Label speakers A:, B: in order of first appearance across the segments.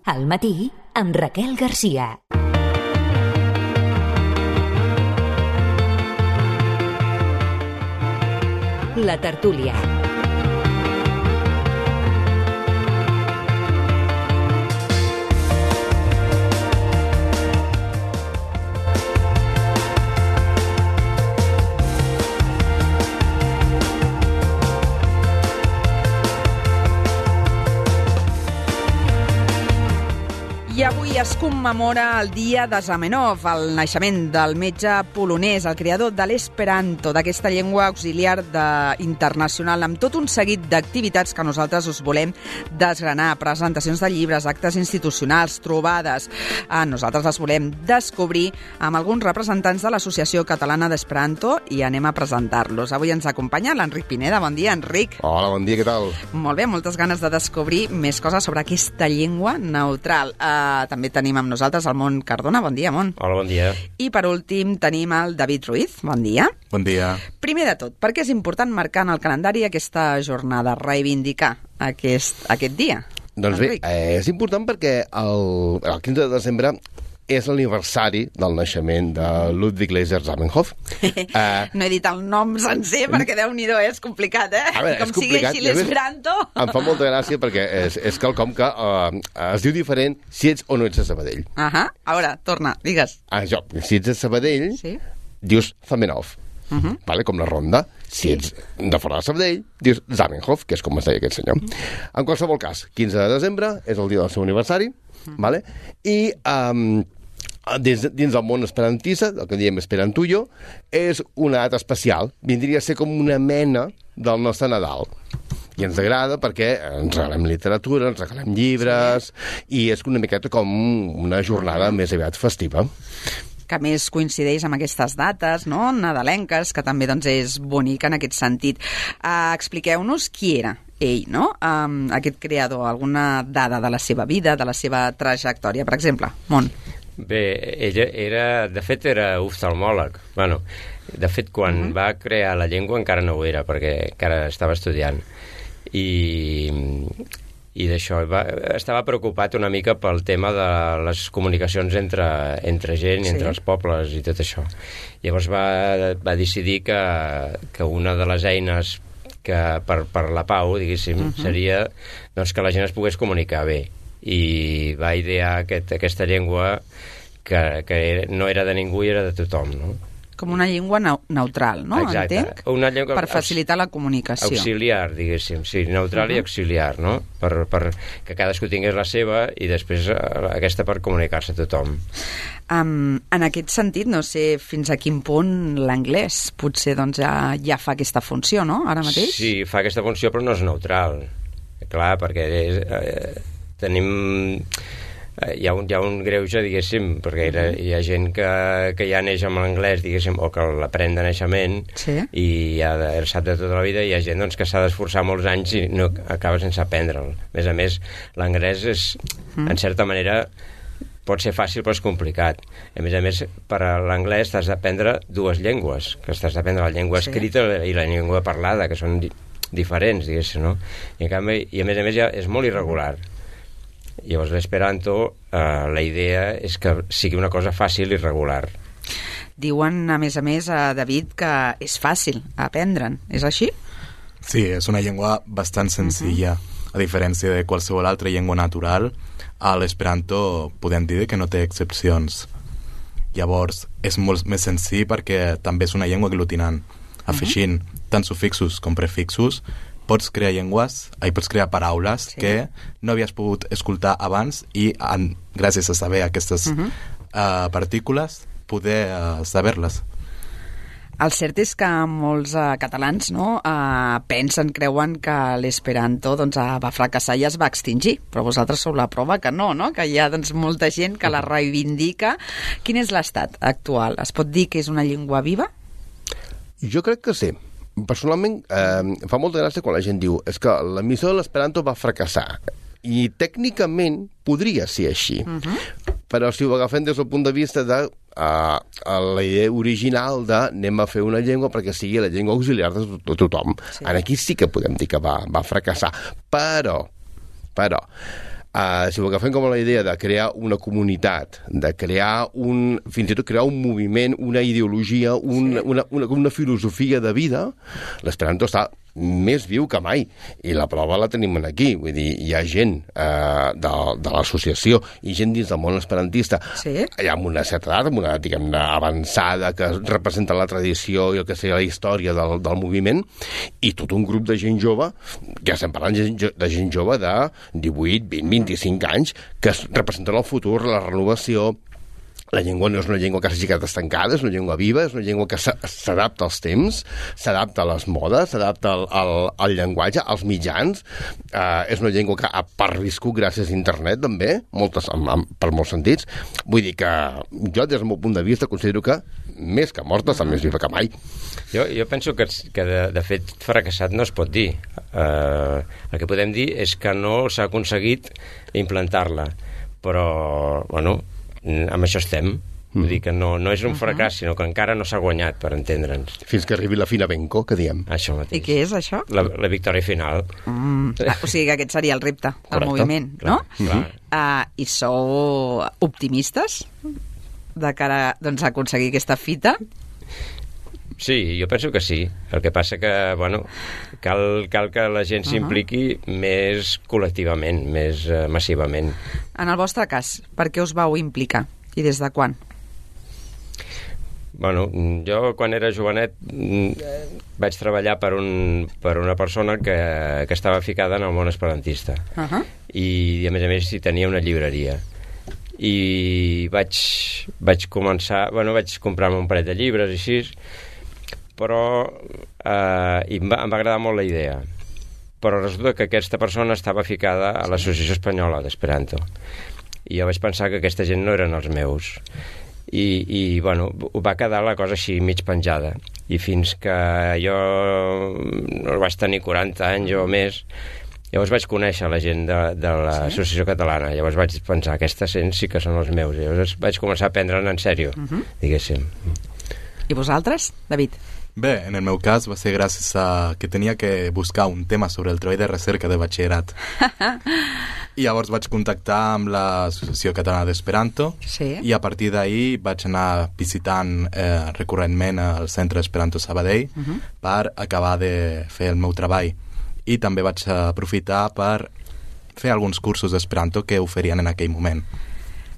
A: Al matí, amb Raquel Garcia. La tertúlia.
B: I avui es commemora el dia de Zamenhof, el naixement del metge polonès, el creador de l'esperanto, d'aquesta llengua auxiliar internacional, amb tot un seguit d'activitats que nosaltres us volem desgranar, presentacions de llibres, actes institucionals, trobades. Nosaltres les volem descobrir amb alguns representants de l'Associació Catalana d'Esperanto i anem a presentar-los. Avui ens acompanya l'Enric Pineda. Bon dia, Enric.
C: Hola, bon dia, què tal?
B: Molt bé, moltes ganes de descobrir més coses sobre aquesta llengua neutral. També tenim amb nosaltres el Mont Cardona. Bon dia, Mont.
D: Hola, bon dia.
B: I per últim tenim el David Ruiz. Bon dia.
E: Bon dia.
B: Primer de tot, per què és important marcar en el calendari aquesta jornada, reivindicar aquest dia?
C: Doncs bé, és important perquè el 15 de desembre és l'aniversari del naixement de Ludwig Leiser Zamenhof.
B: No he dit el nom sencer perquè Déu-n'hi-do, és complicat, eh?
C: A veure,
B: com
C: és complicat.
B: sigui així l'esperanto.
C: Em fa molta gràcia perquè és quelcom que es diu diferent si ets o no ets de Sabadell.
B: A veure, torna, digues.
C: Si ets de Sabadell,
B: Sí.
C: dius Zamenhof, vale? Com la ronda. Si ets de fora de Sabadell, dius Zamenhof, que és com es deia aquest senyor. En qualsevol cas, 15 de desembre és el dia del seu aniversari, vale? I dins del món esperantista, el que diem esperantullo, és una data especial. Vindria a ser com una mena del nostre Nadal. I ens agrada perquè ens regalem literatura, ens regalem llibres, i és una miqueta com una jornada més aviat festiva.
B: Que més coincideix amb aquestes dates, no?, nadalenques, que també doncs, és bonic en aquest sentit. Expliqueu-nos qui era ell, no?, aquest creador, alguna dada de la seva vida, de la seva trajectòria, per exemple. Mont.
D: Bé, ella de fet era oftalmòleg. Bueno, de fet, quan va crear la llengua encara no ho era, perquè encara estava estudiant. I d'això, estava preocupat una mica pel tema de les comunicacions entre gent, entre els pobles i tot això. Llavors va decidir que una de les eines que per la pau, diguéssim, seria doncs, que la gent es pogués comunicar bé. I va idear aquesta llengua que no era de ningú i era de tothom, no?
B: Com una llengua neutral, no?
D: Exacte.
B: Entenc?
D: Una llengua
B: per facilitar la comunicació.
D: Auxiliar, diguéssim, sí, neutral i auxiliar, no? Per que cadascú tingués la seva i després aquesta per comunicar-se a tothom.
B: En aquest sentit, no sé fins a quin punt l'anglès potser doncs, ja fa aquesta funció, no?, ara mateix?
D: Sí, fa aquesta funció, però no és neutral. Clar, perquè tenim... Hi ha un greuge, diguéssim, perquè hi ha gent que ja neix amb l'anglès, diguéssim, o que l'aprèn de naixement i sap de tota la vida, i hi ha gent doncs, que s'ha d'esforçar molts anys i no acaba sense aprendre'l. A més, l'anglès és, en certa manera, pot ser fàcil però és complicat. A més, per a l'anglès t'has d'aprendre dues llengües, que t'has d'aprendre la llengua escrita i la llengua parlada, que són diferents, diguéssim, no? I a més ja és molt irregular. Llavors l'esperanto, la idea és que sigui una cosa fàcil i regular.
B: Diuen, a més, David, que és fàcil aprendre'n. És així?
E: Sí, és una llengua bastant senzilla. A diferència de qualsevol altra llengua natural, a l'esperanto podem dir que no té excepcions. Llavors, és molt més senzill perquè també és una llengua aglutinant. Afegint tant sufixos com prefixos, pots crear pots crear paraules que no havies pogut escoltar abans i gràcies a saber aquestes partícules poder saber-les.
B: El cert és que molts catalans creuen que l'esperanto va fracassar i es va extingir, però vosaltres sou la prova que no? Que hi ha molta gent que la reivindica. Quin és l'estat actual? Es pot dir que és una llengua viva?
C: Jo crec que sí. Personalment, em fa molta gràcia quan la gent diu és que l'emissor de l'esperanto va fracassar. I tècnicament podria ser així. Però si ho agafem des del punt de vista de la idea original de anem a fer una llengua perquè sigui la llengua auxiliar de tothom. Aquí sí que podem dir que va fracassar. Però si ho agafem com la idea de crear una comunitat, de crear fins i tot crear un moviment, una ideologia, una filosofia de vida, l'esperanto està més viu que mai, i la prova la tenim aquí, vull dir, hi ha gent de l'associació i gent dins del món esperantista, amb una certa edat, amb una edat, diguem-ne, avançada, que representa la tradició i el que seria la història del moviment, i tot un grup de gent jove, ja estem parlant de gent jove de 18, 20, 25 anys, que representen el futur, la renovació. La llengua no és una llengua que s'hagi quedat estancada, és una llengua viva, és una llengua que s'adapta als temps, s'adapta a les modes, s'adapta al llenguatge, als mitjans. És una llengua que ha perviscut gràcies a internet, també, per molts sentits. Vull dir que jo, des del meu punt de vista, considero que més que morta està més viva que mai.
D: Jo penso que de fet fracassat no es pot dir. El que podem dir és que no s'ha aconseguit implantar-la, però, bueno, amb això estem. Vull dir que no és un fracàs, sinó que encara no s'ha guanyat, per entendre'ns.
C: Fins que arribi la fina Benco, que diem.
D: Això mateix.
B: I què és això?
D: La victòria final.
B: O sigui que aquest seria el repte del moviment, no? I sou optimistes de cara a aconseguir aquesta fita?
D: Sí, jo penso que sí. El que passa que, bueno, cal que la gent s'impliqui més col·lectivament, més massivament.
B: En el vostre cas, per què us vau implicar? I des de quan?
D: Bueno, jo quan era jovenet vaig treballar per una persona que estava ficada en el món esperantista. I a més hi tenia una llibreria. I vaig començar... Bueno, vaig comprar-me un parell de llibres i així, però em va agradar molt la idea. Però resulta que aquesta persona estava ficada a l'Associació Espanyola d'Esperanto. I jo vaig pensar que aquesta gent no eren els meus. I bueno, va quedar la cosa així mig penjada. I fins que jo no vaig tenir 40 anys o més, llavors vaig conèixer la gent de l'Associació Catalana. Llavors vaig pensar, aquesta gent sí que són els meus. Llavors vaig començar a prendre'n en sèrio, diguéssim.
B: I vosaltres, David?
E: Bé, en el meu cas va ser gràcies a que tenia que buscar un tema sobre el treball de recerca de batxillerat. I llavors vaig contactar amb l'Associació Catalana d'Esperanto i a partir d'ahir vaig anar visitant recurrentment el Centre Esperanto Sabadell per acabar de fer el meu treball. I també vaig aprofitar per fer alguns cursos d'Esperanto que oferien en aquell moment.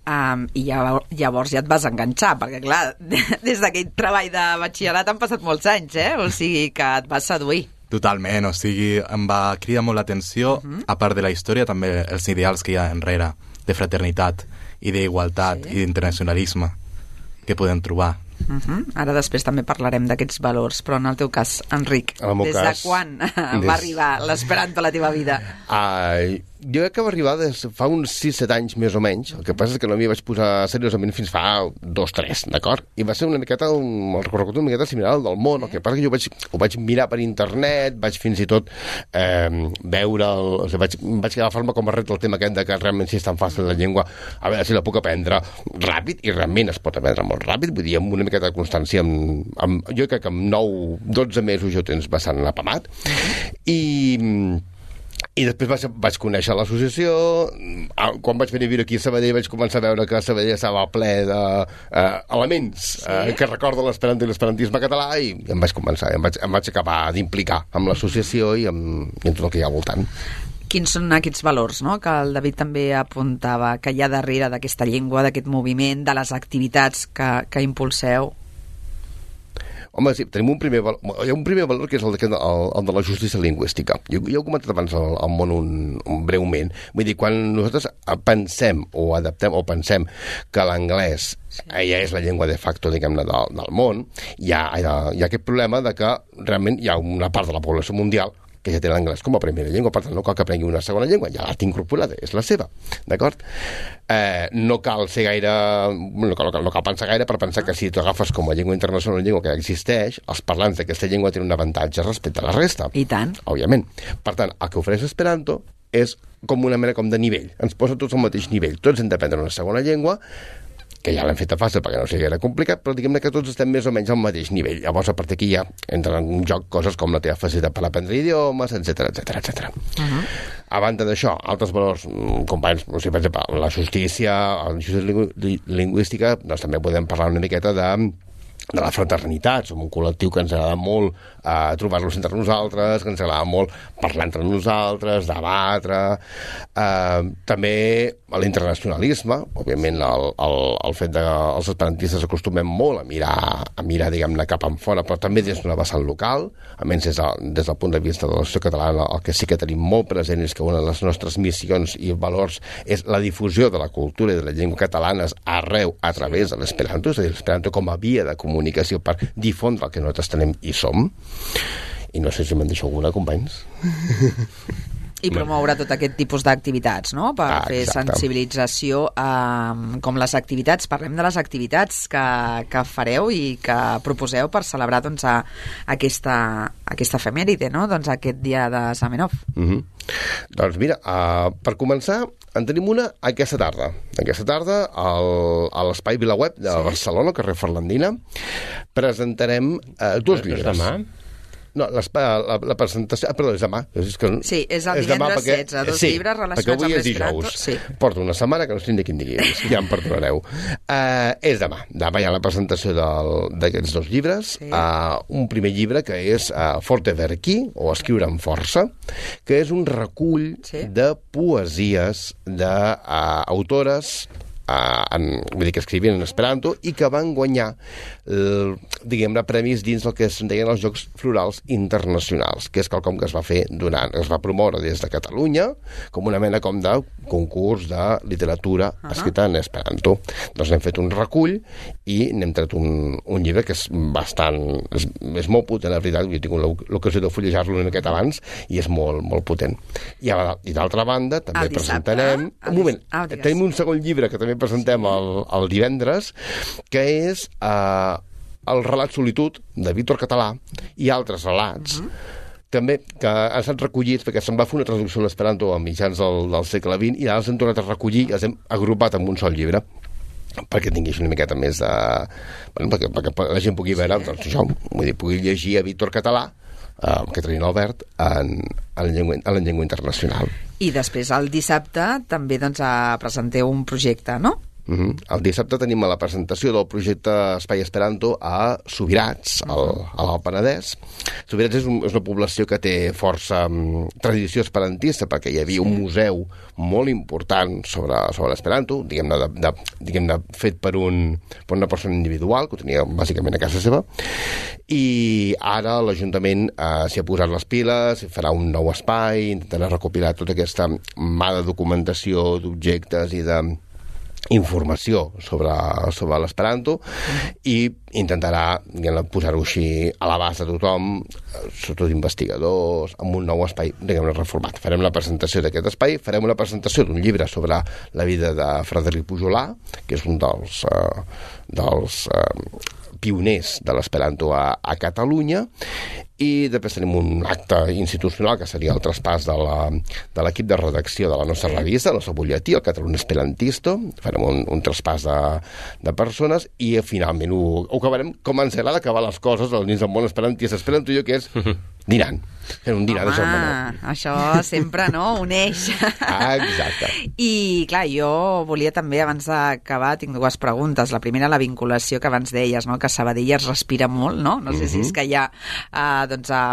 B: I llavors ja et vas enganxar, perquè clar, des d'aquell treball de batxillerat han passat molts anys, o sigui que et vas seduir.
E: Totalment, o sigui, em va cridar molt l'atenció, a part de la història, també els ideals que hi ha enrere, de fraternitat i d'igualtat i d'internacionalisme que podem trobar.
B: Ara després també parlarem d'aquests valors, però en el teu cas, Enric, des de quan va arribar l'Esperanto a la teva vida?
C: Jo crec que va arribar fa uns 6-7 anys més o menys. El que passa és que no m'hi vaig posar seriosament fins fa 2-3, d'acord? I va ser una miqueta el recorregut una miqueta similar al del món. El que passa que jo ho vaig mirar per internet, vaig fins i tot veure... Vaig agafar-me com a repte el tema aquest de que realment si és tan fàcil la llengua, a veure si la puc aprendre ràpid, i realment es pot aprendre molt ràpid, vull dir, amb una miqueta de constància, jo crec que amb 9-12 mesos ja ho tens bastant apamat. I després vaig conèixer l'associació. Quan vaig venir a viure aquí a Sabadell vaig començar a veure que Sabadell estava ple d'elements que recorden l'esperanto i l'esperantisme català, i em vaig acabar d'implicar amb l'associació i amb tot el que hi ha al voltant.
B: Quins són aquests valors, no?, que el David també apuntava, que hi ha darrere d'aquesta llengua, d'aquest moviment, de les activitats que impulseu?
C: Home, sí, tenim un primer valor que és el de la justícia lingüística. Jo ho he comentat abans al món breument. Vull dir, quan nosaltres pensem o adaptem o pensem que l'anglès ja és la llengua de facto, diguem-ne, del món, hi ha aquest problema de que realment hi ha una part de la població mundial que ja té l'anglès com a primera llengua, per tant no cal que aprengui una segona llengua, ja l'ha incorporada, és la seva, d'acord? No cal ser gaire... no cal pensar gaire per pensar que si tu agafes com a llengua internacional una llengua que ja existeix, els parlants d'aquesta llengua tenen un avantatge respecte a la resta.
B: I tant.
C: Òbviament. Per tant, el que ofereix Esperanto és com una mena com de nivell. Ens posa tots al mateix nivell. Tots hem d'aprendre una segona llengua que ja l'hem fet a fàcil perquè no sigui gaire complicat, però diguem-ne que tots estem més o menys al mateix nivell. Llavors, a partir d'aquí ja entren en joc coses com la teva facilitat per aprendre idiomes, etc. A banda d'això, altres valors, companys, per exemple, la justícia lingüística, doncs també podem parlar una miqueta de la fraternitat. Som un col·lectiu que ens agrada molt trobar-nos entre nosaltres, que ens agrada molt parlar entre nosaltres, debatre. També l'internacionalisme, òbviament el fet que els esperantistes acostumem molt a mirar diguem-ne, cap enfora, però també des d'una vessant local, almenys des del punt de vista de la societat catalana, el que sí que tenim molt present és que una de les nostres missions i valors és la difusió de la cultura i de la llengua catalanes arreu a través de l'esperanto, és a dir, l'esperanto com a via de comunicació per difondre el que nosaltres tenim i som. I no sé si me'n deixo alguna, companys.
B: I promoure tot aquest tipus d'activitats, no? Per fer sensibilització, com les activitats. Parlem de les activitats que fareu i que proposeu per celebrar doncs, aquesta efemèride, no? Doncs aquest dia de Zamenhof.
C: Doncs mira, per començar, en tenim una aquesta tarda. Aquesta tarda, a l'Espai VilaWeb de Barcelona, al carrer Ferlandina, presentarem 2 llibres.
D: Demà?
C: No, la presentació... perdó, és demà.
B: Sí, és el divendres 16, 2 llibres relacionats amb l'esperanto.
C: Sí. Porto una setmana que no estic ni quin dia, ja em perdonareu. És demà. Demà hi ha la presentació d'aquests 2 llibres. Un primer llibre que és Forte Verki, o Escriure amb força, que és un recull de poesies d'autores vull dir que escrivien en esperanto i que van guanyar diguem-ne premis dins del que es deien els Jocs Florals Internacionals, que és quelcom que es va fer es va promoure des de Catalunya com una mena com de concurs de literatura escrita en esperanto. Doncs n'hem fet un recull i n'hem tret un llibre que és bastant és molt potent, la veritat. Jo tinc l'ocasió de fullejar-lo una miqueta abans i és molt, molt potent. I d'altra banda també presentarem un moment, tenim un segon llibre que també presentem el divendres, que és el relat Solitud, de Víctor Català, i altres relats, també que han estat recollits, perquè se'n va fer una traducció a l'esperanto a mitjans del segle XX, i ara els hem tornat a recollir i els hem agrupat en un sol llibre, perquè tingués una miqueta més de... Bueno, perquè la gent pugui veure, doncs això, vull dir, pugui llegir a Víctor Català, Caterina Albert, en la llengua internacional.
B: I després, el dissabte, també doncs, presenteu un projecte, no?
C: El dissabte tenim la presentació del projecte Espai Esperanto a Subirats, a l'Alt Penedès. Subirats és una població que té força tradició esperantista, perquè hi havia un museu molt important sobre l'esperanto, diguem-ne fet per una persona individual, que ho tenia bàsicament a casa seva, i ara l'Ajuntament s'hi ha posat les piles, farà un nou espai, intentarà recopilar tota aquesta mà de documentació, d'objectes i de informació sobre l'esperanto i intentarà posar-ho així a l'abast de tothom, sobretot investigadors, amb un nou espai reformat. Farem la presentació d'aquest espai, farem una presentació d'un llibre sobre la vida de Frederic Pujolà, que és un dels pioners de l'esperanto a Catalunya, i després tenim un acte institucional que seria el traspàs de l'equip de redacció de la nostra revista, el nostre butlletí, el Catalunya Esperantisto. Farem un traspàs de persones i finalment ho acabarem com ens agrada acabar les coses als nins del món esperantista. Esperanto jo que és dinant. Fent un dinar de Zamenhof.
B: Això sempre, no? Uneix.
C: Exacte.
B: I, clar, jo volia també, abans d'acabar, tinc 2 preguntes. La primera, la vinculació que abans deies, no? Que Sabadell es respira molt, no? No sé si és que hi ha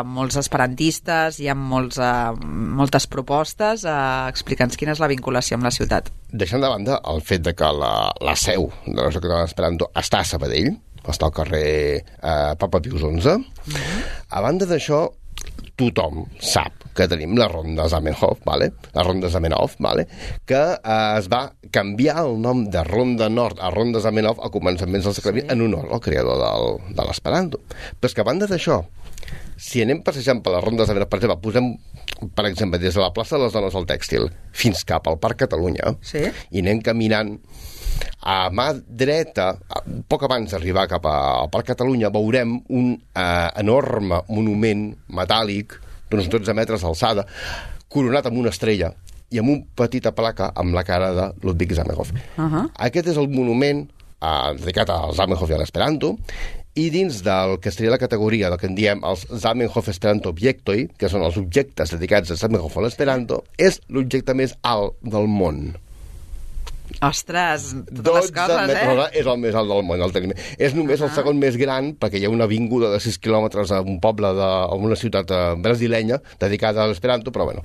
B: molts esperantistes, hi ha moltes propostes. Explica'ns quina és la vinculació amb la ciutat.
C: Deixant de banda el fet de que la seu de la Societat Catalana d'Esperanto està a Sabadell, està al carrer Papa Pius XI. A banda d'això, tothom sap que tenim la Ronda Zamenhof, la Ronda Zamenhof, que es va canviar el nom de Ronda Nord a Ronda Zamenhof a començaments del segle XX en honor al creador de l'esperanto. Però és que a banda d'això, si anem passejant per la Ronda Zamenhof, per exemple, posem, per exemple, des de la plaça de les Dones del Tèxtil fins cap al Parc Catalunya, i anem caminant a mà dreta, poc abans d'arribar cap al Parc Catalunya, veurem un enorme monument metàl·lic d'uns 12 metres d'alçada, coronat amb una estrella i amb una petita placa amb la cara de Ludwig Zamenhof. Aquest és el monument dedicat al Zamenhof i a l'Esperanto, i dins del que seria la categoria del que en diem els Zamenhof Esperanto Objektoi, que són els objectes dedicats a Zamenhof o l'Esperanto, és l'objecte més alt del món.
B: Ostres, totes les coses,
C: És el més alt del món. És només el segon més gran, perquè hi ha una avinguda de 6 quilòmetres a un poble, a una ciutat brasilenya dedicada a l'Esperanto, però bueno,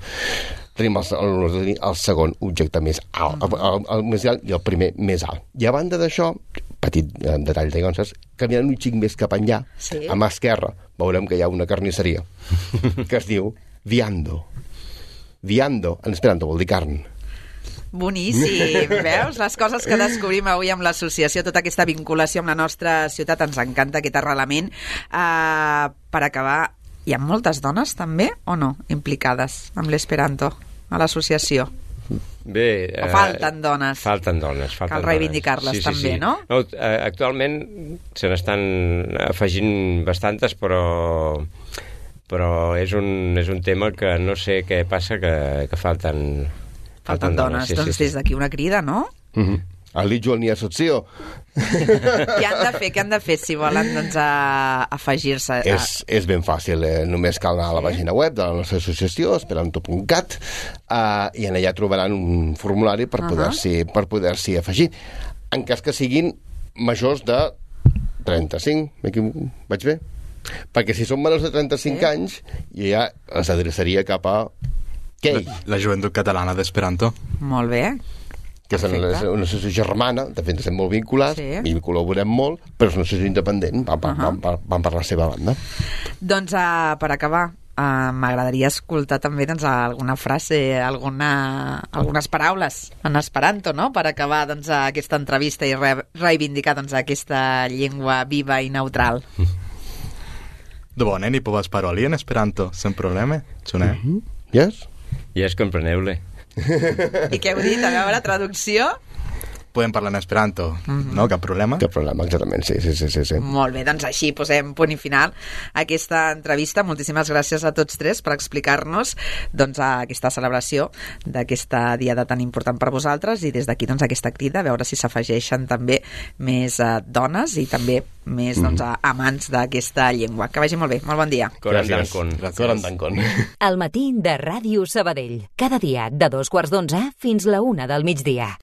C: tenim el segon objecte més alt, el més alt i el primer més alt. I a banda d'això, petit detall de Gonças, caminant un xic més cap enllà, a mà esquerra, veurem que hi ha una carnisseria que es diu Viando. Viando, en esperanto, vol dir carn.
B: Boníssim, veus? Les coses que descobrim avui amb l'associació, tota aquesta vinculació amb la nostra ciutat, ens encanta aquest arrelament. Per acabar, hi ha moltes dones també o no implicades amb l'Esperanto a l'associació?
D: Bé,
B: o falten dones?
D: Falten dones.
B: Cal reivindicar-les també, no?
D: Actualment se n'estan afegint bastantes, però és un tema que no sé què passa, que falten
B: dones. Doncs des d'aquí una crida, no?
C: Alijo al Niasozio.
B: Què han de fer si volen afegir-se?
C: És ben fàcil, només cal anar a la pàgina web de la nostra associació, esperanto.cat, i en allà trobaran un formulari per poder-s'hi afegir. En cas que siguin majors de 35, vaig bé? Perquè si són menors de 35 anys, ja els adreçaria cap a
E: la Joventut Catalana d'Esperanto.
B: Molt bé.
C: Que és una associació germana, de fet estem molt vinculats, i col·laborem molt, però és una associació independent, van per la seva banda.
B: Doncs per acabar, m'agradaria escoltar també alguna frase, algunes paraules en esperanto, no?, per acabar aquesta entrevista i reivindicar aquesta llengua viva i neutral.
E: Dovone, ni povas paroli en Esperanto, sen problema, ĉu ne?
C: Yes?
D: Yes, compreneu-le.
B: I què heu dit? A veure, traducció?
E: Podem parlar en Esperanto, no? Cap problema?
C: Cap problema, exactament, sí.
B: Molt bé, doncs així posem punt i final a aquesta entrevista. Moltíssimes gràcies a tots tres per explicar-nos aquesta celebració d'aquesta diada tan important per vosaltres, i des d'aquí aquesta crida, a veure si s'afegeixen també més dones i també més amants d'aquesta llengua. Que vagi molt bé, molt bon dia.
C: Gràcies.
A: El matí de Ràdio Sabadell. Cada dia de 2:15 fins la 1 del migdia.